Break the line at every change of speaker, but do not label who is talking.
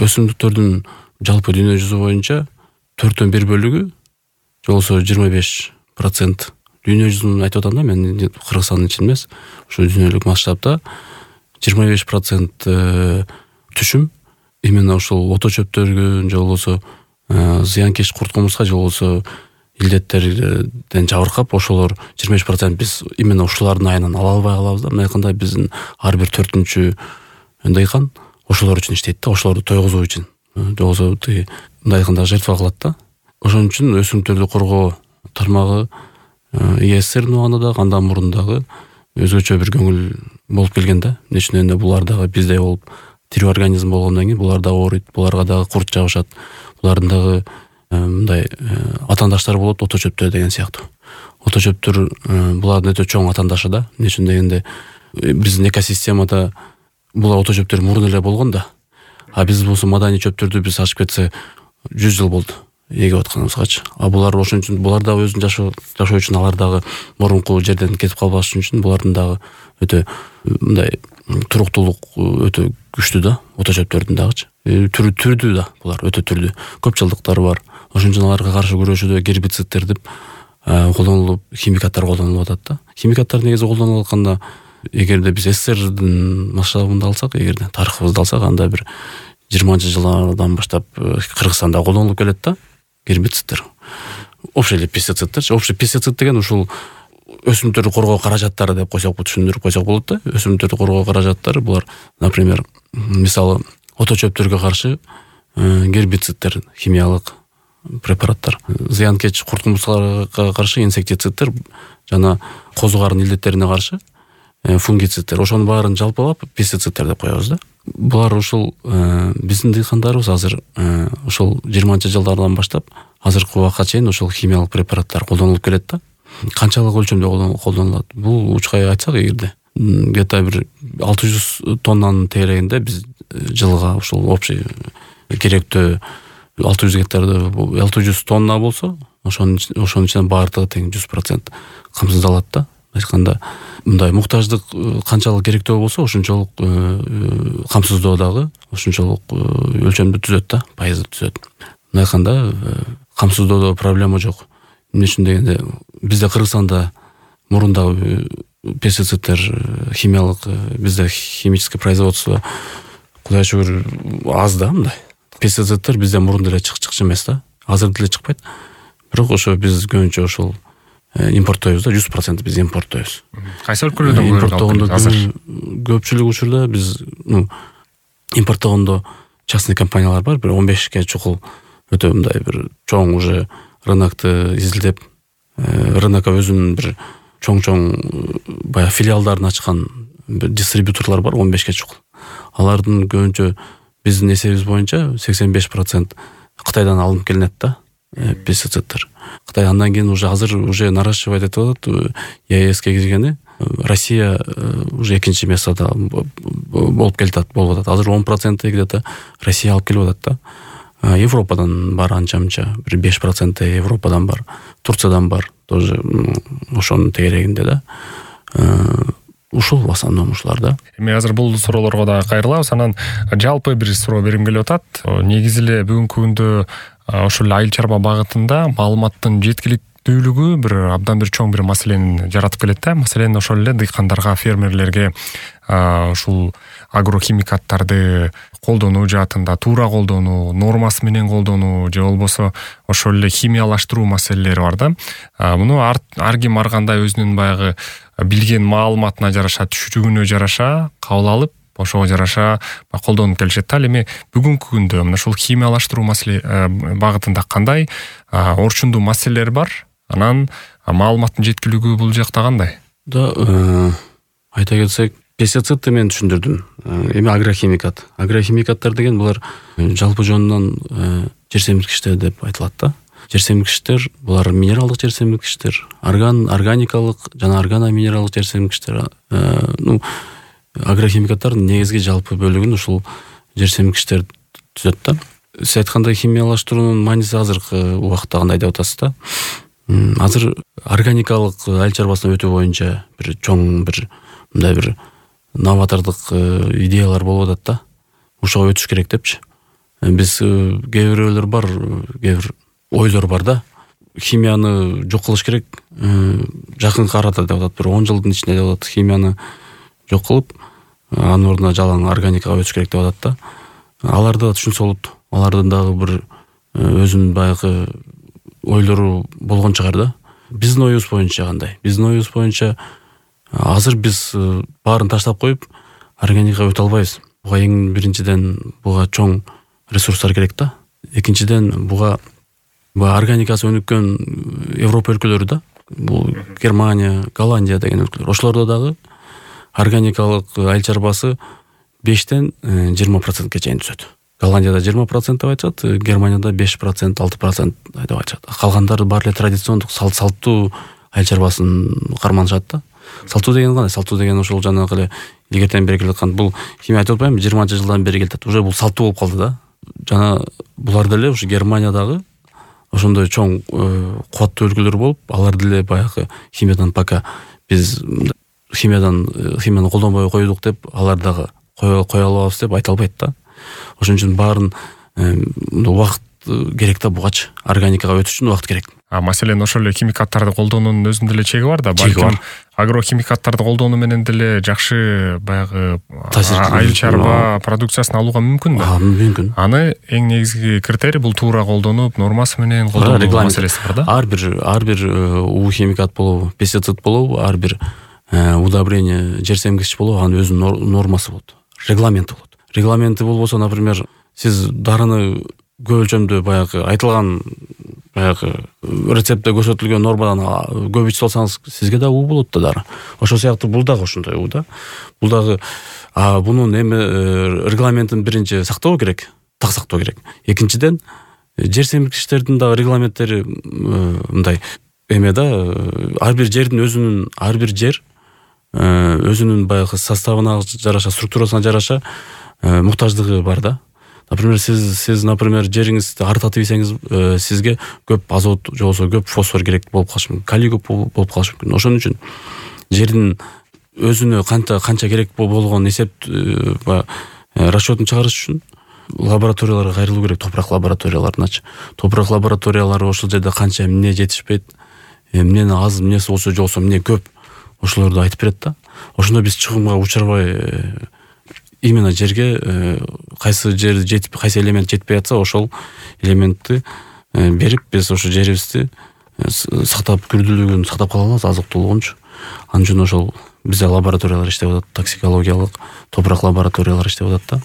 өсүмдүктөрдүн жалпы дүйнө жүзү боюнча 1/4 же болбосо 25% дүйнө жүзүн айтып атам да, мен Кыргызстандын ичинде эмес, ушу дүйнөлүк масштабта 25% түшүм именно ушул ото чөптөргө же болбосо зыянкеч курт кумурска же болбосо илдеттерден жабыркап, ошолор 25% биз именно ушулардын айынан ала албай калабыз да. Мындай айтканда биздин ар бир 4-чү дыйкан ошолор үчүн иштейт да, ошолорду тойгузуу үчүн. Же болбосо мындай айтканда жертва кылат да. Ошон үчүн өсүмдүктөрдү коргоо тармагы ИССРдин убагында дагы, андан мурун дагы өзгөчө бир көңүл болуп келген да. Эмне үчүн дегенде булар дагы биздей болуп тирүү организм болгондон кийин булар дагы ооруйт, буларга дагы курт жабышат. Булардын дагы мындай атаандаштары болот, ото чөптөр деген сыяктуу. Ото чөптөр булардын өтө чоң атаандашы да. Эмне үчүн дегенде биздин экосистемада булар ото чөптөр мурун эле болгон да. А биз болсо маданий чөптөрдү биз ачып кетсе 100 жыл болду эгип атканыбызгачы. А булар ошон үчүн булар дагы өзүн жашоо үчүн, алар дагы мурунку жерден кетип калбаш үчүн булардын дагы өтө мындай туруктуулук өтө күчтүү да, ото чөптөрдүн дагычы. Түрдүү да, булар өтө түрдүү. Көп жылдыктары бар. Ошон үчүн аларга каршы күрөшүүдө гербицидтер деп колдонулуп, химикаттар колдонулуп атат да. Химикаттар негизи колдонулуп атканда, эгерде биз СССРдин масштабында алсак, эгерде тарыхыбызды алсак, анда бир 20-жылдардан баштап Кыргызстанда колдонулуп келет да гербицидтер. Общий пестицидтер. Общий пестицид деген ушул өсүмдүктөрдү коргоо каражаттары деп койсок, түшүндүрүп койсок болот да. Өсүмдүктөрдү коргоо каражаттары булар, например, мисалы ото чөптөргө каршы гербицидтер, химиялык препараттар, зыянкеч курт кумурскаларга каршы инсектицидтер жана козу карын илдеттерине каршы фунгицидтер. Ошонун баарын жалпылап пестицидтер деп коебуз да. Булар ушул биздин дыйкандарыбыз азыр ушул 20-жылдардан баштап азыркы убакка чейин ушул химиялык препараттар колдонулуп келет да. Канчалык өлчөмдө колдонулат? Бул учкай айтсак, эгерде где-то бир 600 тоннанын тегерегинде биз жылга ушул общий керектөө 600 гектарды 600 тонна болсо, ошонун ичинен баардыгы тең 100% камсыздалат да. Айтканда мындай муктаждык канчалык керектөө болсо, ошончолук камсыздоо дагы ошончолук өлчөмдү түзөт да, пайызды түзөт. Мындай айтканда камсыздоодо проблема жок. Эмне үчүн дегенде бизде Кыргызстанда мурун дагы пестицидтер, химиялык, бизде химическое производство кудай шүгүр аз да. Мындай пестицидтер бизде мурун деле чыкчы эмес да, азыр деле чыкпайт. Бирок ошо биз көбүнчө ошол импорттойбуз да, 100% биз импорттойбуз.
Кайсы өлкөлөрдөн
импорттогондо көпчүлүк учурда биз импорттогондо частный компаниялар бар, бир 15 чукул өтө мындай бир чоң уже рынокты изилдеп, рынокко өзүнүн бир чоң баягы филиалдарын ачкан бир дистрибьюторлор бар, 15 чукул. Алардын көбүнчө биздин эсебибиз боюнча 85% Кытайдан алынып келинет да пестицидтер. Кытай андан кийин уже азыр уже наращивать этип атат. ЕСке киргени Россия уже экинчи местада болуп келатат. Азыр 10% где-то Россия алып келип атат да. Европадан бар анча-мынча, бир 5% Европадан бар, Турциядан бар, тоже ошонун тегерегинде да. Ушул в основном ушулар да.
Эми азыр бул суроолорго да кайрылабыз. Анан жалпы бир суроо берим келип атат. Негизи эле бүгүнкү күндө ошол айыл чарба багытында маалыматтын жеткиликтүүлүгү бир абдан бир чоң бир маселени жаратып келет да. Маселен ошол эле дыйкандарга, фермерлерге ушул агрохимикаттарды колдонуу жаатында туура колдонуу, нормасы менен колдонуу же болбосо ошол эле химиялаштыруу маселелери бар да. Муну ар ким ар кандай өзүнүн баягы билген маалыматына жараша, түшүнүгүнө жараша кабыл алып, ошого жараша колдонуп келишет да. Эми бүгүнкү күндө мына ушул химиялаштыруу маселе багытында кандай орчундуу маселелер бар? Анан маалыматтын жеткилиги бул жакта кандай?
Да, айта кетсек, пестицидти мен түшүндүрдүм. Эми агрохимикаттар деген булар жалпы жонунан жер семирткичтер деп айтылат да. Жер семирткичтер булар минералдык жер семирткичтер, органикалык жана органоминералдык жер семирткичтер. Агрохимикаттардын негизги жалпы бөлүгүн ушул жер семирткичтер түзөт да. Сиз айткандай химиялаштыруунун мааниси азыркы убакытта кандай деп атасыз да. Азыр органикалык айыл чарбасына өтүү боюнча бир чоң бир мындай бир новатордук идеялар болуп атат да. Ошого өтүш керек депчи. биз кээ бирөөлөр бар, кээ бир ойлор бар да. Химияны жок кылыш керек, жакынкы арада деп атат, бир 10 жылдын ичинде деп атат, химияны жок кылып, анын ордуна жалаң органикага өтүш керек деп атат да. Аларда түшүнсө болот. Алардын дагы бир өзүнүн баягы ойлору болгон чыгар да. Биздин оюбуз боюнча кандай? Биздин оюбуз боюнча азыр биз баарын таштап коюп органикага өтө албайбыз. Буга эң биринчиден буга чоң ресурстар керек да. Экинчиден буга органикасы өнүккөн Европа өлкөлөрү да. Бул Германия, Голландия деген өлкөлөр. Ошолордо дагы органикалык айыл чарбасы 5-тен 20%ке чейин түшөт. Голландияда 20% деп айтышат, Германияда 5%, 6% деп айтышат. Калгандары баары эле традициондук салттуу айыл чарбасын карманышат да. Салттуу деген кандай? Салттуу деген ошол жанагы эле илгертен бери келаткан, бул химия айтып атпаймынбы, 20-жылдан бери келатат. Уже бул салттуу болуп калды да. Жана булар деле ушу Германиядагы ошондой чоң кубаттуу өлкөлөр болуп, алар деле баягы химиядан пока биз химияны колдонбой койдук деп, алар дагы кое алабыз деп айта албайт да. Ошон үчүн баарын убакыт керек да, бугачы органикага өтүш үчүн убакыт керек.
Маселен ошол эле химикаттарды колдоонун өзүнүн деле чеги бар да. Балким агрохимикаттарды колдонуу менен деле жакшы баягы айыл чарба продукциясын алууга мүмкүн да.
Мүмкүн.
Аны эң негизги критерий бул туура колдонуп, нормасы менен колдонуу маселеси бар да.
Ар бир химикат болобу, пестицид болобу, ар бир удобрение, жер семгичкич болобу, анын өзүнүн нормасы болот, регламенти болот. Регламенти болбосо, например, сиз дарыны көп өлчөмдө баягы айтылган баягы рецептте көрсөтүлгөн нормадан көп ичип алсаңыз, сизге да уу болот да дары. Ошол сыяктуу бул дагы ошондой уу да. Бул дагы бунун регламентин биринчи сактоо керек, так сактоо керек. Экинчиден, жер семирткичтердин дагы регламенттери мындай да, ар бир жер өзүнүн баягы составына жараша, структурасына жараша муктаждыгы бар да. Например, сиз например, жериңизди артатып ийсеңиз, сизге көп азот же болбосо көп фосфор керек болуп калышы мүмкүн, калий көп болуп калышы мүмкүн. Ошон үчүн жердин өзүнө канча керек болгон эсеп расчетун чыгарыш үчүн лабораторияларга кайрылуу керек, топурак лабораторияларыначы. Топурак лабораториялары ошол жерде канча эмне жетишпейт, эмнени аз, эмнеси болсо же болбосо эмне көп, ошолорду айтып берет да. Ошондо биз чыгымга учурбай именно жерге кайсы жер жетип, кайсы элемент жетпей атса, ошол элементти берип, биз ошо жерибизди сактап, күрдүүлүгүн сактап кала алабыз, азыктуулугунчу. Анын үчүн ошол бизде лабораториялар иштеп атат, токсикологиялык, топурак лабораториялар иштеп атат да.